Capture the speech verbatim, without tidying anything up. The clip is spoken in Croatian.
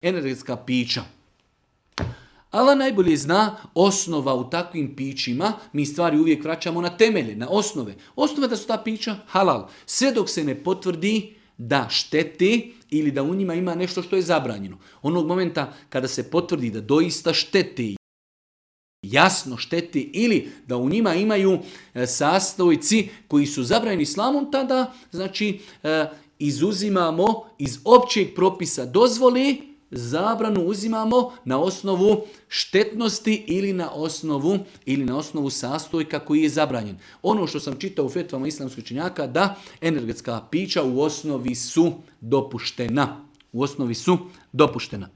energetska pića. Allah najbolje zna osnova u takvim pićima, mi stvari uvijek vraćamo na temelje, na osnove. Osnova da su ta pića halal. Sve dok se ne potvrdi da šteti ili da u njima ima nešto što je zabranjeno. Onog momenta kada se potvrdi da doista šteti, jasno šteti ili da u njima imaju sastojci koji su zabranjeni islamom, tada znači izuzimamo iz općeg propisa dozvoli, zabranu uzimamo na osnovu štetnosti ili na osnovu ili na osnovu sastojka koji je zabranjen. Ono što sam čitao u fetvama islamskih učenjaka da energetska pića u osnovi su dopuštena. U osnovi su dopuštena.